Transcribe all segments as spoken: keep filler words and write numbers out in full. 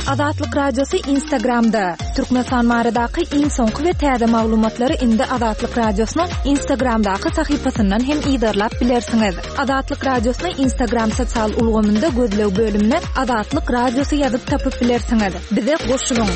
Azatlyk Radiosy Instagramda. Türkmenistan baradaky iň soňky we täze maglumatlary indi Azatlyk Radiosynyň Instagramdaky sahypasyndan hem yzarlap bilersiňiz. Azatlyk Radiosyny Instagram sosial ulgamynda gözleg bölümine Azatlyk Radiosy ýazyp tapyp bilersiňiz. Bize goşulyň.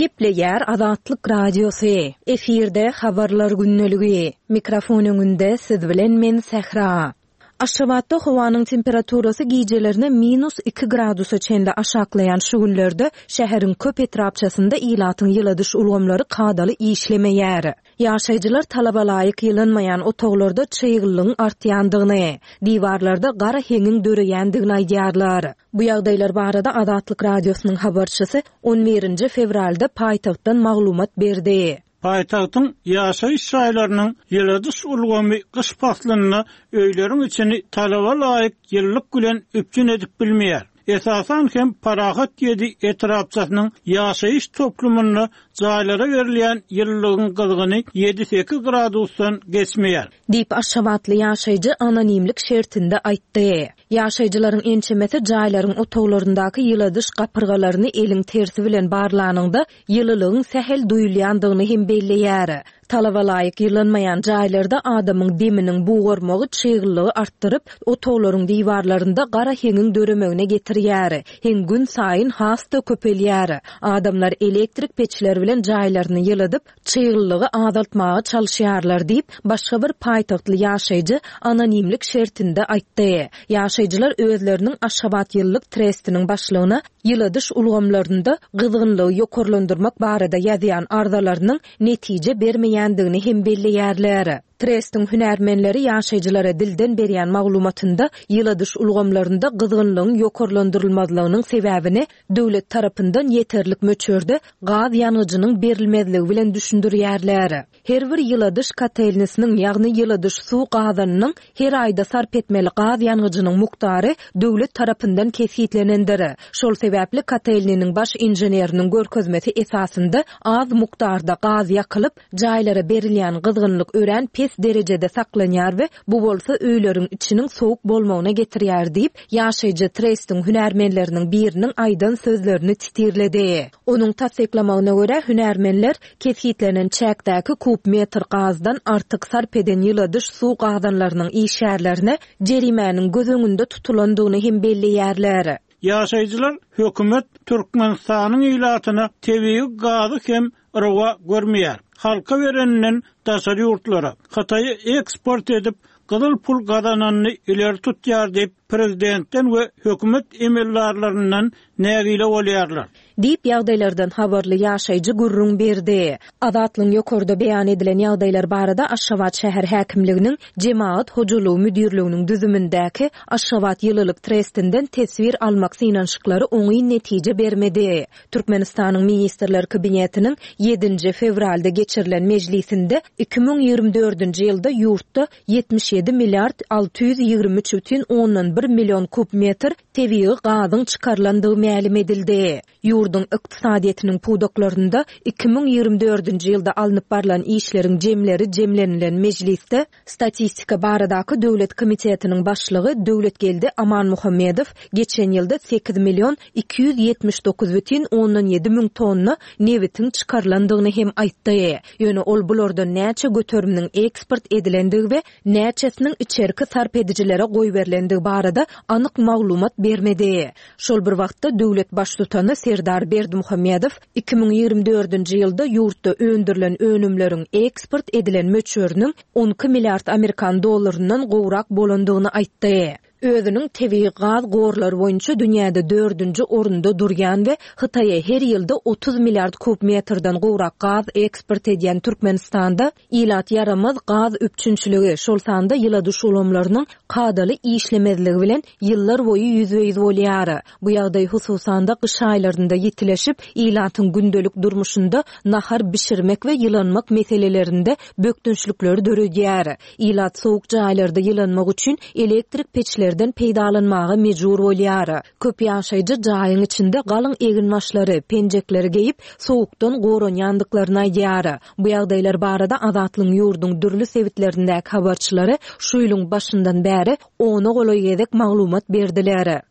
Gepleýär Azatlyk Radiosy. Efirde habarlar gündeligi. Mikrofon öňünde siz bilen men Sähra. Aşgabatda howanyň temperaturasy gijelerine minus iki gradusa çenli aşaklaýan şu günlerde şäheriň köp etrapçasynda ilatyň ýyladyş ulgamlary kadaly işlemeýär. Ýaşaýjylar talaba laýyk ýylanmaýan otaglarda çyglylygyň artýandygyny, diwarlarda gara heňiň döreýändigini aýdýarlar. Bu ýagdaýlar barada Azatlyk Radiosynyň habarçysy on birinji fewralda paýtagtdan maglumat berdi. Paýtagtyň ýaşaýyş jaýlarynyň ýyladyş ulgamy gyş paslynda öýleriň içini talaba laýyk ýyllyk bilen üpjün edip bilmeýär. Esasan hem Parahat ýedi etrapçasynyň ýaşaýyş toplumynda jaýlara berilýän ýyllygyň gyzgyny ýedi sekiz gradusdan geçmeýär. Diýip Aşgabatly ýaşaýjy anonimlik şertinde aýtdy. Ýaşaýjylaryň ençemesi jaýlaryň otaglaryndaky ýyladyş gapyrgalaryny eliň tersi bilen barlanyňda ýylylygyň sähel duýulýandygyny hem belleýär. Talaba laýyk ýylanmaýan jaýlarda adamyň deminiň bugarmagy çyglylygy artdyryp, otaglaryň diwarlarynda gara heňiň döremegine getirýär. Heň gün saýyn has-da köpelýär. Adamlar elektrik peçler bilen jaýlaryny ýyladyp, çyglylygy azaltmaga çalyşýarlar diýip, başga bir paýtagtly ýaşaýjy anonimlik şertinde aýtdy. Ýaşaýjylar özleriniň Aşgabat ýyllyk trestiniň başlygyna ýyladyş ulgamlarynda gyzgynlygy ýokarlandyrmak barada ýazýan arzalarynyň netije bermeýändigini hem belleýärler. Trestiň hünärmenleri ýaşaýjylara dilden berýän maglumatynda ýyladyş ulgamlarynda gyzgynlygyň ýokarlandyrylmazlygynyň sebäbini döwlet tarapyndan ýeterlik möçberde gaz ýangyjynyň berilmezligi bilen düşündirýärler. Her bir ýyladyş kotelnisiniň, ýagny ýyladyş suw gazanynyň her aýda sarp etmeli gaz ýangyjynyň mukdary döwlet tarapyndan kesgitlenendir. Şol sebäpli kotelniniň baş inženeriniň görkezmesi esasynda az mukdarda gaz ýakylyp, jaýlara berilýän gyzgynlyk örän pes derejede saklanýar we bu bolsa öýleriň içiniň sowuk bolmagyna getirýär diýip, ýaşaýjy trestiň hünärmenleriniň biriniň aýdan sözlerini titirledi. Onuň tassyklamagyna görä hünärmenler kesgitlenen çäkdäki kub metr gazdan artyk sarp eden ýyladyş suw gazanlarynyň işgärlerine jerimäniň göz öňünde tutulandygyny hem belleýärler. Ýaşaýjylar hökümet Türkmenistanyň ilatyna tebigy gazy hem rowa görmeýär. Halka bereninden daşary ýurtlara Hytaýa eksport edip gyzyl pul gazananyny ileri tutýar diýip prezidentden we hökümet emeldarlaryndan nägile bolýarlar. Diýip ýagdaýlardan habarly ýaşaýjy gürrüň berdi. Azatlygyň ýokarda beýan edilen ýagdaýlar barada Aşgabat şäher häkimliginiň Jemagat hojalygy müdirliginiň düzümindäki Aşgabat ýylylyk trestinden teswir almak synanyşyklary oňyn netije bermedi. Türkmenistanyň Ministrler Kabinetiniň ýedinji fewralda geçirilen mejlisinde iki müň ýigrimi dördünji ýylda ýurtda ýetmiş ýedi milliard alty ýüz ýigrimi üç bütin ondan bir million kub metr tebigy gazyň çykarylandygy mälim edildi. Ýurduň ykdysadyýetiniň pudaklarynda iki müň ýigrimi dördünji ýylda alnyp barlan işleriň jemleri jemlenilen mejlisde Statistika baradaky Döwlet komitetiniň başlygy Döwletgeldi Amanmuhammedow geçen ýylda sekiz million iki ýüz ýetmiş dokuz bütin ondan ýedi müň tonna nebitiň çykarylandygyny hem aýtdy. Ýöne ol bulardan näçe göteriminiň eksport edilendigi we näçesiniň içerki sarp edijilere goýberilendigi barada anyk maglumat bermedi. Şol bir wagtda döwlet baştutany Serdar Berdimuhamedow iki müň ýigrimi dördünji ýylda ýurtda öndürilen önümleriň eksport edilen möçberiniň on iki milliard Amerikan dollaryndan gowrak bolandygyny aýtdy. Özüniň tebigy gaz gorlary boýunça dünýäde dördünji orunda durýan we Hytaýa her ýylda otuz milliard kub metrden gowrak gaz eksport edýän Türkmenistanda ilat ýaramaz gaz üpjünçiligi, şol sanda ýyladyş ulgamlarynyň kadaly işlemezligi bilen ýyllar boýy ýüzbe-ýüz bolýar. Bu ýagdaý hususan-da gyş aýlarynda ýitileşip, ilatyň gündelik durmuşynda nahar bişirmek we ýylanmak meselelerinde bökdençlikleri döredýär. Ilat sowuk jaýlarda ýylanmak üçin elektrik peçlerden çeşmelerden peýdalanmaga mejbur bolýar. Köp ýaşaýjy jaýyň içinde galyň eginbaşlary, penjekleri geýip, sowukdan goranýandyklaryny aýdýar. Bu ýagdaýlar barada Azatlygyň ýurduň dürli sebitlerindäki habarçylary şu ýylyň başyndan bäri ona golaý gezek maglumat berdiler.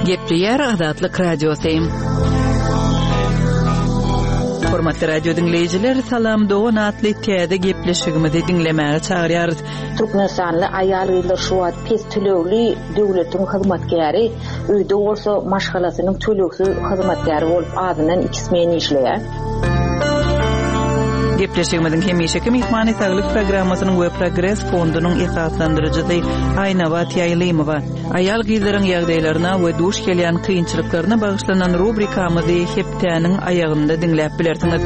Gepleýär Azatlyk Radiosy. Hormatly radio diňleýjiler, Salam Dogan atly täze gepleşigimizi diňlemäge çagyrýarys. Türkmenistanly aýal-gyzlar şu wagt pes tölegli döwletiň hyzmatkäri, öýde bolsa maşgalasynyň tölegsiz hyzmatkäri bolup azyndan iki smen işleýär. Gepleşigimiziň hemişeki myhmany saglyk programmasynyň we Progres fondunyň esaslandyryjysy Aýnabat Ýaýlymowa. Aýal gyzlaryň ýagdaýlaryna we duş gelýän kynçylyklaryna bagyşlanan rubrikamyzy hepdäniň aýagynda diňläp bilersiňiz.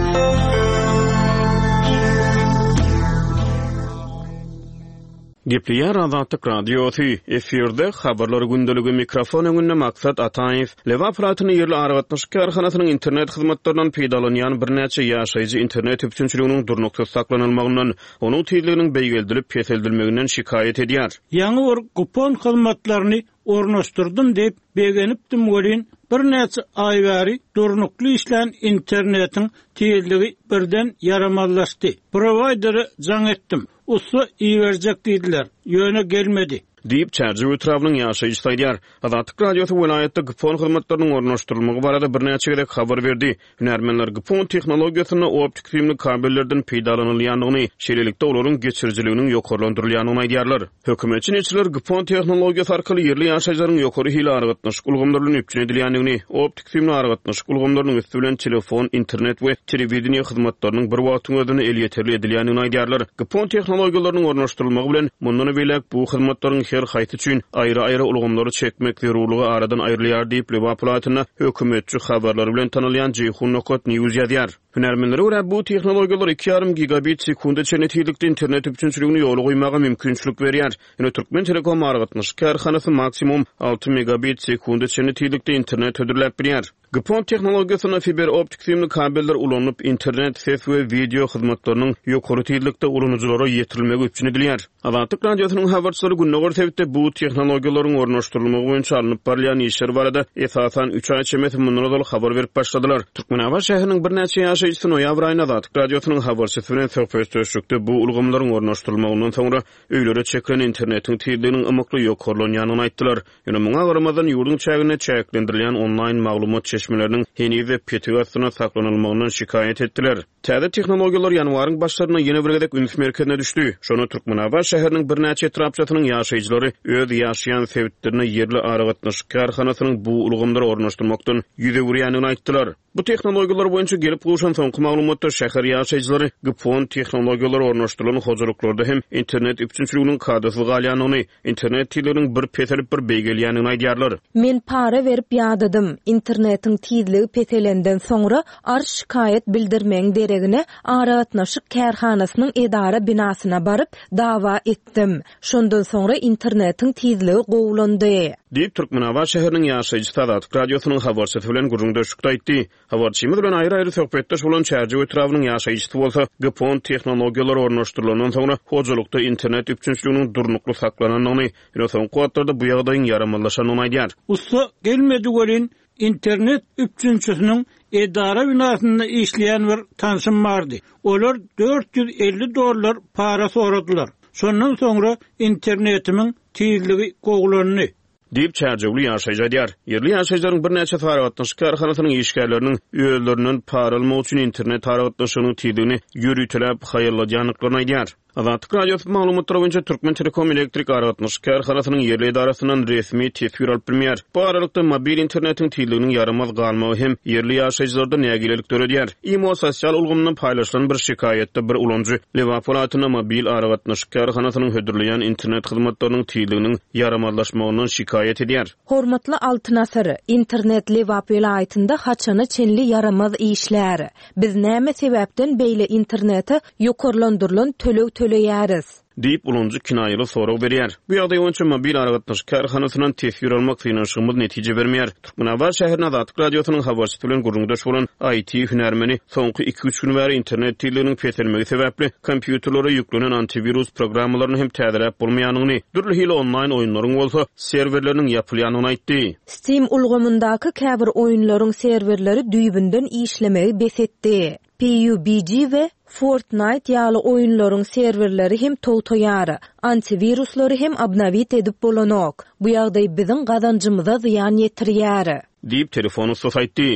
Gepleýär Azatlyk Radiosy, efirde habarlar gündeligi mikrofon öňünde Maksat Ataýew. Lebap welaýatynyň ýerli aragatnaşyk kärhanasynyň internet hyzmatlaryndan peýdalanýan birnäçe ýaşaýjy internet üpjünçiliginiň durnuksyz saklanylmagyndan, onuň tizliginiň beýgeldilip peseldilmeginden şikaýat edýär. Ýaňy bir kupon hyzmatlaryny ornaşdyrdym diýip begenipdim welin, birnäçe aý bäri durnukly işlän internetiň tizligi birden ýaramazlaşdy. Prowaýdere jaň etdim. Ussa iberjek diýdiler, ýöne gelmedi. Diýip Çärjew etrabynyň ýaşaýjysy aýdýar. Azatlyk Radiosy welaýatda GPON hyzmatlarynyň ornaşdyrylmagy barada birnäçe gezek habar berdi. Hünärmenler GPON tehnologiýasynda optik süýümli kabellerden peýdalanylýandygyny, şeýlelikde olaryň geçirijiliginiň ýokarlandyrylýandygyny aýdýarlar. Hökümetçi neşirler GPON tehnologiýasy arkaly ýerli ýaşaýjylaryň ýokary hili aragatnaşyk ulgamlary bilen üpjün edilýändigini, optik süýümli aragatnaşyk ulgamlarynyň üsti bilen telefon, internet we telewideniýe hyzmatlarynyň bir wagtyň özünde elýeterli edilýändigini aýdýarlar. GPON tehnologiýalarynyň ornaşdyrylmagy bilen mundan beýläk bu hyzmatlaryň her haýsy üçin aýry-aýry ulgamlary çekmek zerurlygy aradan aýrylýar diýip Lebap welaýatynda hökümetçi habarlary bilen tanalýan Jeýhun nokta News ýazýar. Hünärmenlere görä bu tehnologiýalar iki ýarym gigabit sekunda çenli tizlikde internet üpjünçiligini ýola goýmaga mümkinçilik berýär. Ýöne Türkmen Telekom aragatnaşyk kärhanasy maksimum alty megabit sekunda çenli tizlikde internet hödürläp bilýär. GPON tehnologiýasynda fiber optik süýümli kabeller ulanylyp, internet, ses we wideo hyzmatlarynyň ýokary tizlikde ulanyjylara ýetirilmegi üpjün edilýär. Azatlyk Radiosynyň habarçylary gündogar sebitde bu tehnologiýalaryň ornaşdyrylmagy boýunça alnyp barylýan işler barada esasan üç aý çemesi mundan ozal habar berip başladylar. Türkmenabat şäheriniň birnäçe ýaşaýjysy noýabr aýynda Azatlyk Radiosynyň habarçysy bilen söhbetdeşlikde bu ulgamlaryň ornaşdyrylmagyndan soňra öýlere çekilen internetiň tizliginiň ymykly ýokarlanýandygyny aýtdylar. Ýöne muňa garamazdan ýurduň çäginde çäklendirilýän onlaýn maglumat çeşmeleriniň heniz petik astyna saklanylmagyndan şikaýat etdiler. Täze tehnologiýalar ýanwaryň başlarynda ýene bir gezek üns merkezine düşdi. Şonda Türkmenabat şäheriniň birnäçe etrapçasynyň ýaşaýjylary öz ýaşaýan sebitlerine ýerli aragatnaşyk kärhanasynyň bu ulgamlary ornaşdyrmakdan ýüz öwürýändigini aýtdylar. Bu tehnologiýalar boýunça gelip gowşan soňky maglumatda şäher ýaşaýjylary GPON tehnologiýalary ornaşdyrylan hojalyklarda hem internet üpjünçiliginiň kadasyz galýandygyny, internet tizliginiň bir peselip bir beýgelýändigini aýdýarlar. Men para berip ýadadym. Internetiň tizligi peselenden soňra arz şikaýat bildirmegiň deregine aragatnaşyk kärhanasynyň edara binasyna baryp dawa etdim. Şondan soňra internetiň tizligi gowulandy. Diýip Türkmenabat şäheriniň ýaşaýjysy Azatlyk Radiosynyň habarçysy bilen gürrüňdeşlikde aýtdy. Habarçymyz bilen aýry-aýry söhbetdeş bolan Çärjew etrabynyň ýaşaýjysy bolsa GPON tehnologiýalary ornaşdyrylandan soňra hojalykda internet üpjünçiliginiň durnukly saklanandygyny, ýöne soňky wagtlarda bu ýagdaýyň ýaramazlaşandygyny aýdýar. Ussa gelmedi welin internet üpjünçisiniň edara binasynda işleýän bir tanşym bardy. Olar dört ýüz elli dollar para soradylar. Şondan soňra internetimiň tizligi gowulandy. Diýip Çärjewli ýaşaýjy aýdýar. Ýerli ýaşaýjylaryň birnäçe aragatnaşyk kärhanasynyň işgärleriniň özlerinden para almak üçin internet aragatnaşygynyň tizligini ýöriteläp haýalladýandyklaryny aýdýar. Azatlyk Radiosy maglumatlary boýunça Türkmen Telekom elektrik aragatnaşyk kärhanasynyň ýerli edarasyndan resmi teswir alyp bilmeýär. Bu aralykda mobil internetiň tizliginiň ýaramaz galmagy hem ýerli ýaşaýjylarda nägilelik döredýär. IMO sosial ulgamyndan paýlaşylan bir şikaýatda bir ulanyjy Lebap welaýatynda mobil aragatnaşyk kärhanasynyň hödürleýän internet hyzmatlarynyň tizliginiň ýaramazlaşmagyndan şikaýat edýär. Hormatly Altyn Asyr, internet Lebap welaýatynda haçana çenli ýaramaz işler. Biz näme sebäpden beýle internete ýokarlandyrylan töleg töleýäris? Diýip, ulanyjy kinaýaly sorag berýär. Bu ýagdaý boýunça mobil aragatnaşyk kärhanasyndan teswir almak synanyşygymyz netije bermeýär. Türkmenabat şäherinde Azatlyk Radiosynyň habarçysy bilen gürrüňdeş bolan I T hünärmeni soňky iki-üç gün bäri internet tizliginiň peselmegi sebäpli kompýuterlere ýüklenen antiwirus programmalaryny hem täzeläp bolmaýanyny, dürli hili onlaýn oýunlaryň bolsa serwerleriniň ýapylýanyny aýtdy. Steam ulgamyndaky käbir oýunlaryň serwerleri düýbünden işlemegi bes etdi. P U B G we Fortnite ýaly oýunlaryň serwerleri hem togtaýar. Antiwiruslary hem obnowit edip bolanok. Bu ýagdaý biziň gazanjymyza zyýan ýetirýär. Diýip telefon ussasy aýtdy.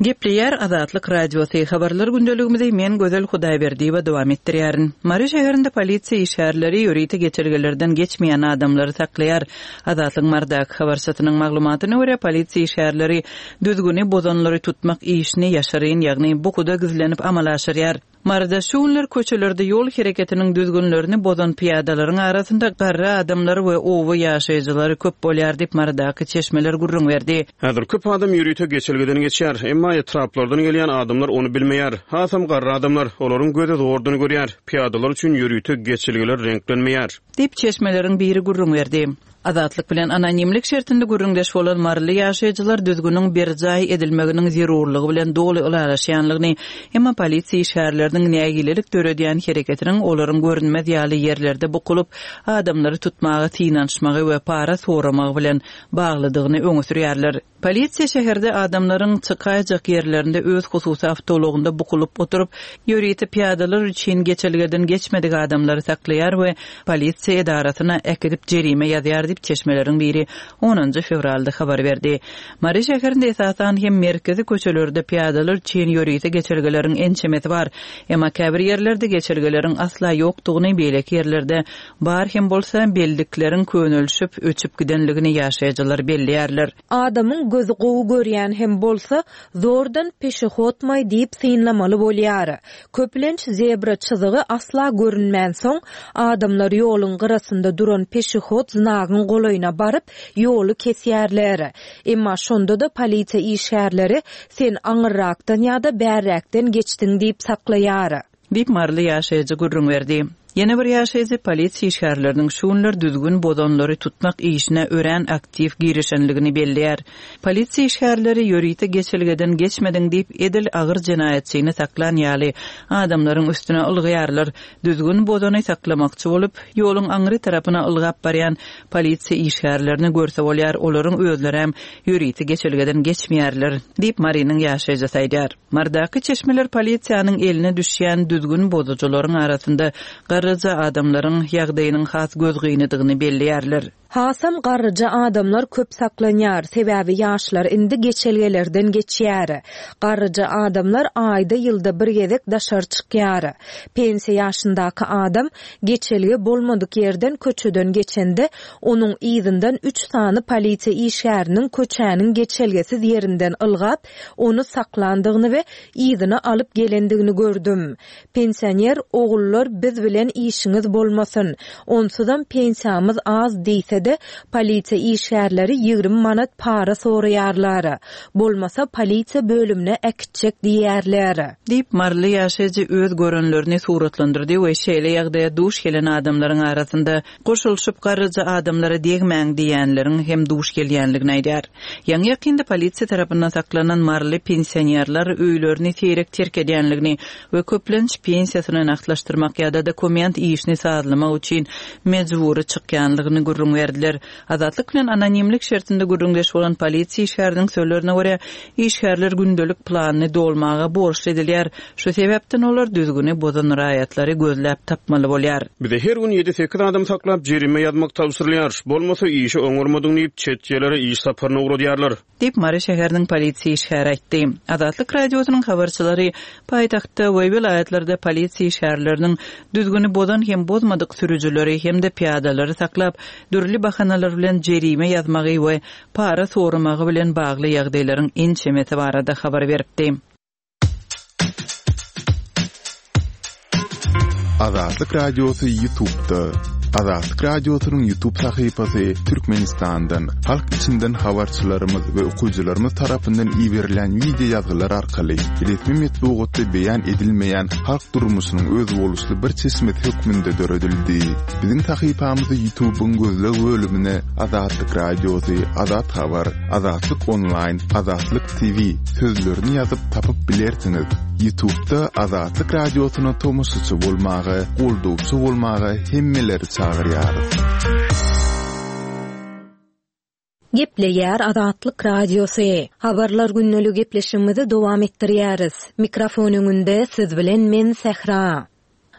Gepleýär Azatlyk Radiosy. Habarlar gündeligimizi men Gözel Hudaýberdiýewa dowam etdirýärin. Mary şäherinde polisiýa işgärleri ýörite geçelgelerden geçmeýän adamlary saklaýar. Azatlyk Mardaky habarçysynyň maglumatyna görä polisiýa işgärleri düzgüni bozanlary tutmak işini ýaşaryn, ýagny bukuda gizlenip amala aşyrýar. Maryda şu günler köçelerde ýol hereketiniň düzgünlerini bozan pyýadalaryň arasynda garry adamlar we owa ýaşaýjylary köp bolýar diýip Marydaky çeşmeler gürrüň berdi. Häzir köp adam ýörite geçelgeden geçýär, emma etraplardan gelýän adamlar ony bilmeýär. Hasam garry adamlar, olaryň gözi zordan görýär. Pyýadalar üçin ýörite geçelgeler reňklenmeýär. Diýip çeşmeleriň biri gürrüň berdi. Azatlyk bilen anonimlik şertinde gürrüňdeş bolan maryly ýaşaýjylar düzgüniň berjaý edilmeginiň zerurlygy bilen doly ylalaşýanlygyny, emma polisiýa işgärleriniň nägilelik döredýän hereketiniň olaryň görünmez ýaly ýerlerde bukulyp, adamlary tutmaga synanyşmagy we para soramagy bilen baglydygyny öňe sürýärler. Polisiýa şäherde adamlaryň çykaýjak ýerlerinde öz hususy awtoulagynda bukulyp oturyp, ýörite pyýadalar üçin geçelgeden geçmedik adamlary saklaýar we polisiýa edarasyna äkidip jerime ýazýar diýip çeşmeleriň biri onunjy fewralda habar berdi. Mary şäherinde esasan hem merkezi köçelerde pyýadalar üçin ýörite geçelgeleriň ençemesi bar. Emma käbir ýerlerde geçelgeleriň asla ýokdugyny, beýleki ýerlerde bar hem bolsa bellikleriň könelişip öçüp gidenligini ýaşaýjylar belleýärler. Adamyň gözi gowy görýän hem bolsa, zordan peşehotmaý diýip synlamaly bolýar. Köplenç zebra çyzygy asla görünmän soň, adamlar ýoluň gyrasynda duran peşehot znagyň golaýyna baryp, ýoly kesýärler. Emma şonda da polisiýa işgärleri sen aňyrrakdan ýa-da bärräkden geçdiň diýip saklaýar. Diýip maryly ýaşaýjy gürrüň berdi. Ýene bir ýaşaýjy polisiýa işgärleriniň şu günler düzgün bozanlary tutmak işine örän aktiw girişenligini belleýär. Polisiýa işgärleri ýörite geçelgeden geçmediň diýip edil agyr jenaýatçyny saklan ýaly adamlaryň üstüne ylgaýarlar. Düzgün bozany saklamakçy bolup, ýoluň aňry tarapyna ylgap barýan polisiýa işgärlerini görse bolýar, olaryň özleri hem ýörite geçelgeden geçmeýärler diýip Marynyň ýaşaýjysy aýdýar. Marydaky çeşmeler polisiýanyň eline düşýän düzgün bozujylaryň arasynda garryja adamlaryň ýagdaýynyň has gözgynydygyny belleýärler. Hasam garryja adamlar köp saklanýar, sebäbi ýaşlar indi geçelgelerden geçýär. Garryja adamlar aýda ýylda bir gezek daşary çykýar. Pensiýa ýaşyndaky adam geçelge bolmadyk ýerden köçeden geçende, onuň yzyndan üç sany polisiýa işgäriniň köçäniň geçelgesiz ýerinden ylgap, ony saklandygyny we yzyna alyp gelendigini gördüm. Pensioner ogullar biz bilen işiňiz bolmasyn, onsuzam pensiýamyz az diýse de polisiýa işgärleri ýigrimi manat para soraýarlar. Bolmasa polisiýa bölümine äkitjek diýerler. Diýip maryly ýaşaýjy öz görenlerini suratlandyrdy we şeýle ýagdaýa duş gelen adamlaryň arasynda goşulyşyp garryja adamlara degmäň diýenleriň hem duş gelýänligini aýdýar. Ýaňy ýakynda polisiýa tarapyndan saklanan maryly pensionerler öýlerini seýrek terk edýänligini we köplenç pensiýasyny nagtlaşdyrmak ýa-da dokument işini sazlamak üçin mejbury çykýanlygyny gürrüň berdiler. Azatlyk bilen anonimlik şertinde gürrüňdeş bolan polisiýa işgäriniň sözlerine görä, işgärler gündelik planyny dolmaga borçly edilýär. Şu sebäpden olar düzgüni bozan raýatlary gözläp tapmaly bolýar. Bize her gün ýedi sekiz adam saklap jerime ýazmak tabşyrylýar. Bolmasa işi oňarmadyň diýip çet ýerlere iş saparyna ugradýarlar. Diýip Mary şäheriniň polisiýa işgäri aýtdy. Azatlyk Radiosynyň habarçylary paýtagtda we welaýatlarda polisiýa işgärleriniň düzgüni bozan hem bozmadyk sürüjileri hem-de pyýadalary saklap, dürli bahanalar bilen jerime ýazmagy we para soramagy bilen bagly ýagdaýlaryň ençemesi barada habar beripdi. Azatlyk Radiosy YouTube'da. Azatlyk Radiosynyň YouTube sahypasy Türkmenistandan, halk içinden habarçylarymyz we okyjylarymyz tarapyndan iberilen wideo ýazgylar arkaly resmi metbugatda beýan edilmeýän halk durmuşynyň özboluşly bir çeşmesi hökmünde döredildi. Biziň sahypamyzy YouTube'yň gözleg bölümine Azatlyk Radiosy, Azat Habar, Azatlyk Online, Azatlyk T V sözlerini ýazyp tapyp bilersiňiz. YouTube'da Azatlyk Radiosyna tomaşaçy bolmaga, goldawçy bolmaga hemmeleri çagyrýarys. Gepleýär Azatlyk Radiosy. Habarlar günlük gepleşigimizi dowam etdirýäris. Mikrofon öňünde siz bilen men Sähra.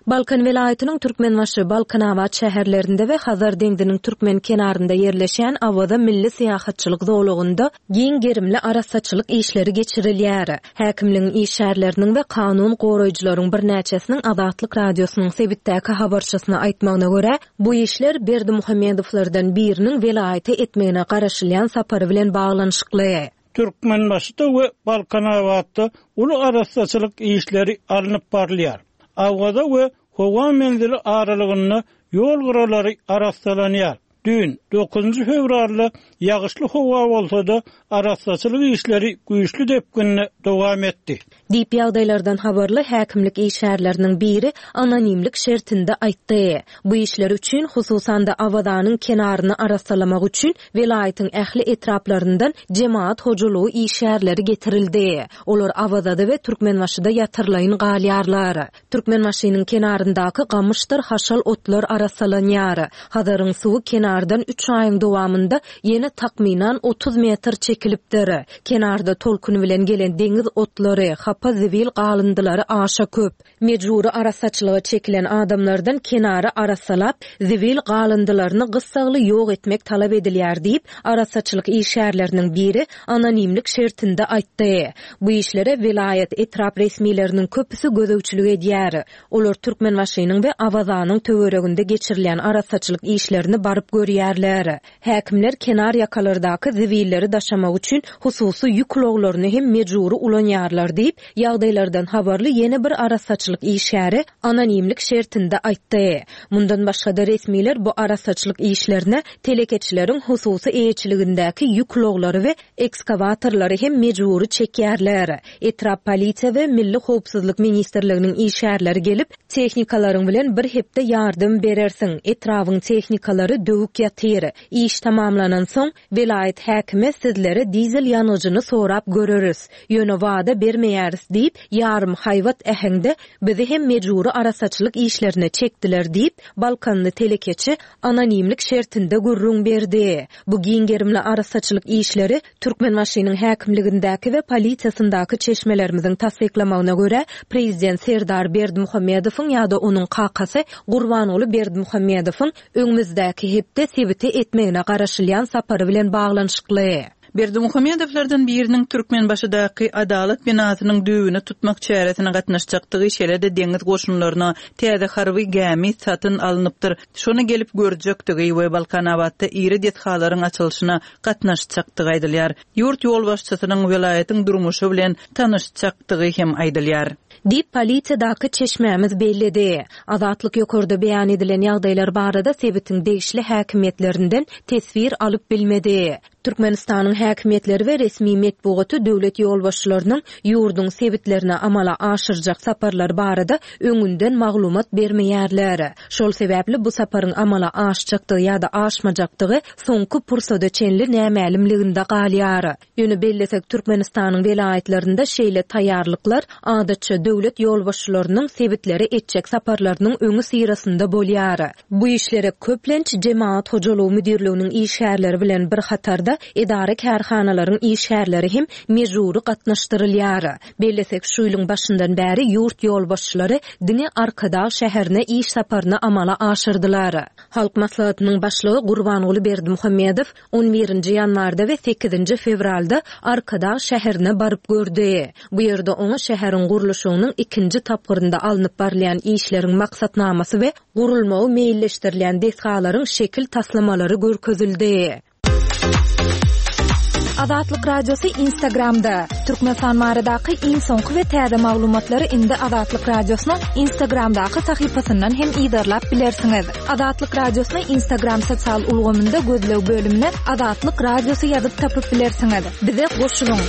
Balkan welaýatynyň Türkmenbaşy, Balkanabat şäherlerinde we Hazar deňziniň türkmen kenarynda ýerleşen Awaza milli syýahatçylyk zolagynda giň gerimli arassaçylyk işleri geçirilýär. Häkimligiň işgärleriniň we kanun goraýjylaryň birnäçesiniň Azatlyk Radiosynyň sebitdäki habarçysyna aýtmagyna görä, bu işler Berdimuhamedowlardan biriniň welaýata etmegine garaşylýan sapary bilen baglanyşykly. Türkmenbaşyda we Balkanabatda uly arassaçylyk işleri alnyp barylýar. Awaza we howa menzili aralygynda ýol gyralary arassalanýar. Dün dokuzynjy fewralda ýagyşly howa bolsa-da arassaçylyk işleri güýçli depginde dowam etdi. Diýip ýagdaýlardan habarly häkimlik işgärleriniň biri anonimlik şertinde aýtdy. Bu işler üçin hususan-da Awazanyň kenaryny arassalamak üçin welaýatyň ähli etraplaryndan jemaat hojalygy işgärleri getirildi. Olar Awazada we Türkmenbaşyda ýatyrlaýyn galýarlar. Türkmenbaşynyň kenaryndaky gamyşdyr haşal otlar arassalanýar. Hazaryň suwy kenardan üç aýyň dowamynda ýene takmynan otuz metr çekilipdir. Kenarda tolkun bilen gelen deňiz otlary, hapa zibil galyndylary aşa köp. Mejbury arassaçylyga çekilen adamlardan kenary arassalap, zibil galyndylaryny gyssagly ýok etmek talap edilýär diýip, arassaçylyk işgärleriniň biri anonimlik şertinde aýtdy. Bu işlere welaýat etrap resmileriniň köpüsi gözegçilik edýär. Olar Türkmenbaşynyň we Awazanyň töwereginde geçirilýän arassaçylyk işlerini baryp görýärler. Häkimler kenar ýakalardaky zibilleri daşamak üçin hususy ýük ulaglaryny hem mejbury ulanýarlar diýip, ýagdaýlardan habarly ýene bir arassaçylyk işgäri anonimlik şertinde aýtdy. Mundan başga-da resmiler bu arassaçylyk işlerine telekeçileriň hususy eýeçiligindäki ýük ulaglary we ekskavatorlary hem mejbury çekýärler. Etrap polisiýa we Milli Howpsuzlyk Ministrliginiň işgärleri gelip, tehnikalaryň bilen bir hepde ýardam berersiň. Etrabyň tehnikalary döwük ýatyr. Iş tamamlanan soň welaýat häkimi sizlere dizel ýangyjyny sorap göreris. Ýöne wada bermeýäris diýip, ýarym haýbat äheňde bizi hem mejbury arassaçylyk işlerine çekdiler diýip, Balkanly telekeçi anonimlik şertinde gürrüň berdi. Bu giň gerimli arassaçylyk işleri Türkmenbaşynyň häkimligindäki we polisiýasyndaky çeşmelerimiziň tassyklamagyna görä, Prezident Serdar Berdimuhamedowyň ýa-da onuň kakasy Gurbanguly Berdimuhamedowyň öňümizdäki hepde sebite etmegine garaşylýan sapary bilen baglanyşykly. Berdimuhamedowlardan biriniň Türkmenbaşydaky Adalat binasynyň düwüni tutmak çäresine gatnaşjakdygy şeýle-de deňiz goşunlaryna täze harby gämi satyn alnypdyr. Şony gelip görjekdigi we Balkanabatda iri desgalaryň açylyşyna gatnaşjakdygy aýdylýar. Ýurt ýolbaşçysynyň welaýatyň durmuşy bilen tanyşjakdygy hem aýdylýar. Diýip polisiýadaky çeşmämiz belledi. Azatlyk ýokarda beýan edilen ýagdaýlar barada sebitiň degişli häkimiýetlerinden teswir alyp bilmedi. Türkmenistanyň häkimiýetleri we resmi metbugaty döwlet ýolbaşçylarynyň ýurduň sebitlerine amala aşyrjak saparlary barada öňünden maglumat bermeýärler. Şol sebäpli bu saparyň amala aşjakdygy ýa-da aşmajakdygy soňky pursada çenli nämälimliginde galýar. Ýöne bellesek Türkmenistanyň welaýatlarynda şeýle taýýarlyklar adatça döwlet ýolbaşçylarynyň sebitlere etjek saparlarynyň öňi syrasynda bolýar. Bu işlere köplenç jemaat hojalygy müdirliginiň işgärleri bilen bir hatarda edara kärhanalaryň işgärleri hem mejbury gatnaşdyrylýar. Bellesek şu ýylyň başyndan bäri ýurt ýolbaşçylary diňe Arkadag şäherine iş saparyny amala aşyrdylar. Halk maslahatynyň başlygy Gurbanguly Berdimuhamedow on birinji ýanwarda we sekizinji fewralda Arkadag şäherine baryp gördi. Bu ýerde oňa şäheriň gurluşygynyň ikinji tapgyrynda alnyp barylýan işleriň maksatnamasy we gurulmagy meýilleşdirilýän desgalaryň şekil taslamalary görkezildi. Azatlyk Radiosy Instagramda. Türkmenistan baradaky iň soňky we täze maglumatlary indi Azatlyk Radiosynyň Instagramdaky sahypasyndan hem yzarlap bilersiňiz. Azatlyk Radiosyny Instagram sosial ulgamynda gözleg bölümine Azatlyk Radiosy ýazyp tapyp bilersiňiz. Bize goşulyň.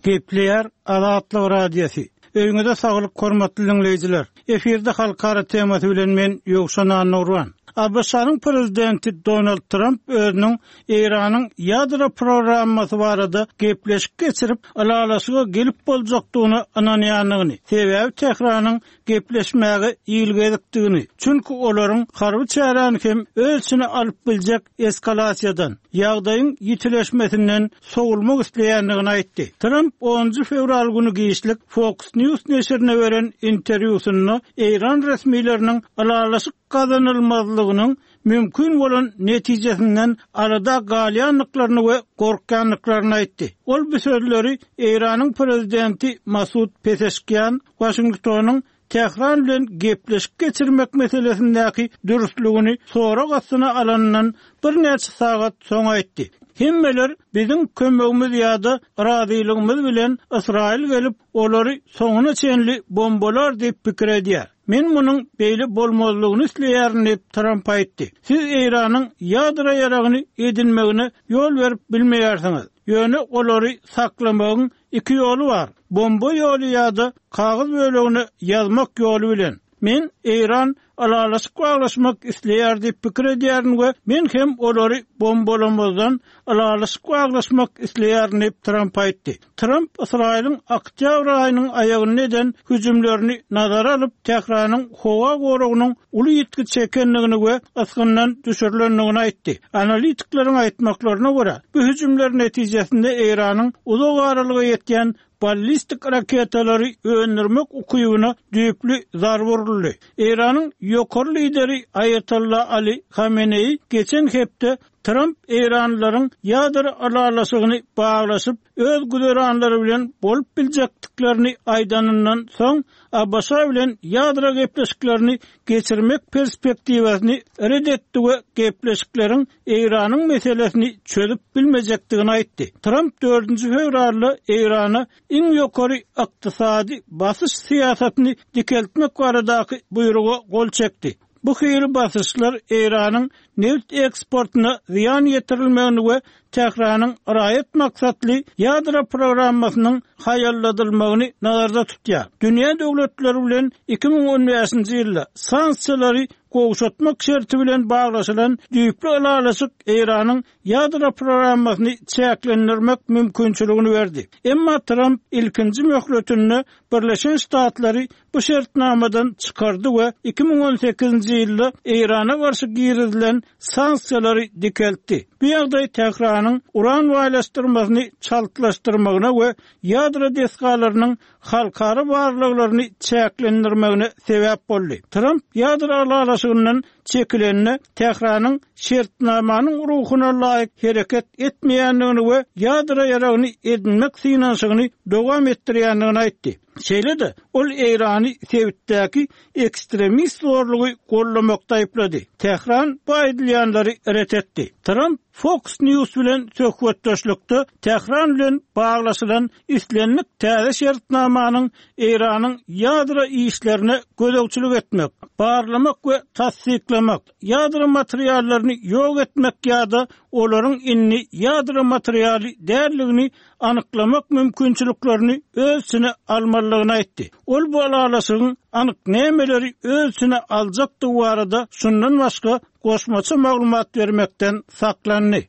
Gepleýär Azatlyk Radiosy. Öýüňize saglyk hormatly dinleýjiler. Efirde halkara temasy bilen men Ýowşan Annurwan. ABŞ-nyň prezidenti Donald Tramp özüniň Eýranyň ýadro programmasy barada gepleşik geçirip, ylalaşyga gelip boljakdygyna ynanýandygyny, sebäbi Tähranyň gepleşmäge ilgezikdigini, çünki olaryň harby çäräni hem öz içine alyp biljek eskalasiýadan, ýagdaýyň ýitileşmesinden sowulmak isleýändigini aýtdy. Tramp onunjy fewral güni giçlik Fox News neşirine beren interwýusynda Eýran resmileriniň ylalaşyk gazanylmazlygynyň mümkin bolan netijesinden arada galýandyklaryny we gorkýandyklaryny aýtdy. Ol bu sözleri Eýranyň prezidenti Masud Pezeşkian Washingtonyň Tähran bilen gepleşik geçirmek meselesindäki dürüstlügini sorag astyna alanyndan birnäçe sagat soň aýtdy. Hemmeler biziň kömegimiz ýa-da razylygymyz bilen Ysraýyl gelip olary soňuna çenli bombalar diýip pikir edýär. Men munuň beýle bolmazlygyny isleýärin diýip Tramp aýtdy. Siz Eýranyň ýadro ýaragyny edinmegine ýol berip bilmeýärsiňiz. Ýöne olary saklamagyň iki ýoly bar. Bomba ýoly ýa-da kagyz bölegini ýazmak ýoly bilen. Men Eýran ylalaşyk baglaşmak isleýär diýip pikir edýärin we men hem olary bombalamazdan ylalaşyk baglaşmak isleýärin diýip Tramp aýtdy. Tramp Ysraýylyň oktýabr aýynyň aýagynda eden hüjümlerini nazara alyp, Tähranyň howa goragynyň uly ýitgi çekendigini we ysgyndan düşürilendigini aýtdy. Analitikleriň aýtmaklaryna görä, bu hüjümler netijesinde Eýranyň uzak aralyga ýetýän ballistik raketalary öndürmek ukybyna düýpli zarba uruldy. Eýranyň ýokary lideri Aýatollah Ali Hameneýi geçen hepde Tramp Eýranlylaryň ýadro ylalaşygyny baglaşyp, öz güzeranlary bilen bolup biljekdiklerini aýdanyndan soň ABŞ bilen ýadro gepleşiklerini geçirmek perspektiwasyny red etdi we gepleşikleriň Eýranyň meselesini çözüp bilmejekdigini aýtdy. Tramp dördünji fewralda Eýrana iň ýokary ykdysady basyş syýasatyny dikeltmek baradaky buýruga gol çekdi. Bu hili basyşlar Eýranyň neft eksportuna zyýan ýetirilmegini we Tähranyň raýat maksatly ýadro programmasynyň haýalladylmagyny nazarda tutýar. Dünýä döwletleri bilen iki müň on bäşinji ýylda sanksiýalary gowşatmak şerti bilen baglaşylan düýpli ylalaşyk Eýranyň ýadro programmasyny çäklendirmek mümkinçiligini berdi. Emma Tramp ilkinji möhletinde Birleşen Ştatlary bu şertnamadan çykardy we iki müň on sekizinji ýylda Eýrana garşy girizilen sanksiýalary dikeltdi. Bu ýagdaý Tähranyň uran baýlaşdyrmasyny çaltlaşdyrmagyna we ýadro desgalarynyň halkara barlaglaryny çäklendirmegine sebäp boldy. Tramp ýadro ylalaşygyndan çekilende Tähranyň şertnamanyň ruhuna laýyk hereket etmeýändigini we ýadro ýaragyny edinmek synanyşygyny dowam etdirýändigini aýtdy. Şeýle-de ol Eýrany sebitdäki ekstremist zorlugy gollamakda aýyplady. Tähran bu aýdylýanlary ret etdi. Tramp Fox News bilen söhbetdeşlikde Tähran bilen baglaşylan islendik täze şertnamanyň Eýranyň ýadro işlerine gözegçilik etmek, barlamak we tassyklamak, ýadro materiallaryny ýok etmek ýa-da olaryň indi ýadro materialy däldigini anyklamak mümkinçiliklerini öz içine almalydygyny aýtdy. Ol bu ylalaşygyň anyk nämeleri öz içine aljakdygy barada şundan başga goşmaça maglumat bermekden saklandy.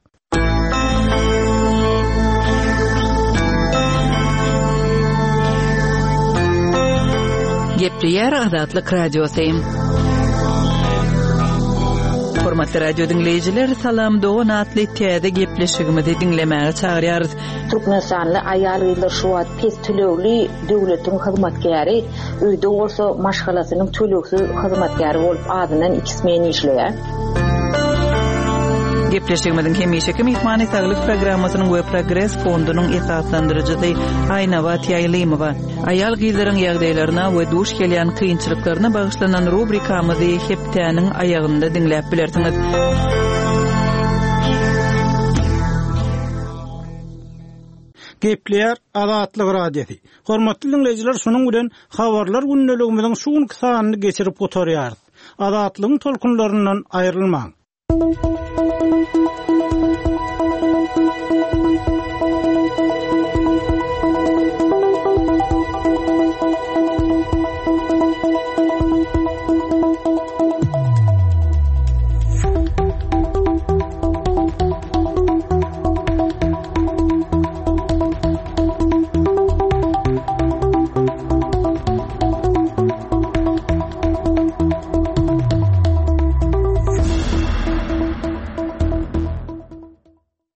Gepleýär Azatlyk Radiosy. Hormatly radio dinleýjiler, Salam Dogan atly täze gepleşigimizi diňlemäge çagyrýarys. Türkmenistanly aýal-gyzlar şu wagt pes tölegli döwletiň hyzmatkäri, öýde bolsa maşgalasynyň tölegsiz hyzmatkäri bolup azyndan iki smen işleýär. Gepleşigimiziň hemişeki myhmany Saglyk programmasynyň we Progres fondunyň esaslandyryjysy Aýnabat Ýaýlymowa. Aýal-gyzlaryň ýagdaýlaryna we duş gelýän kynçylyklaryna bagyşlanan rubrikamyzy hepdäniň aýagynda diňläp bilersiňiz. Gepleýär Azatlyk Radiosy. Hormatly diňleýjiler, şunuň bilen habarlar gündeligimiziň şu günki sanyny geçirip gutarýarys. Azatlygyň tolkunlaryndan aýrylmaň.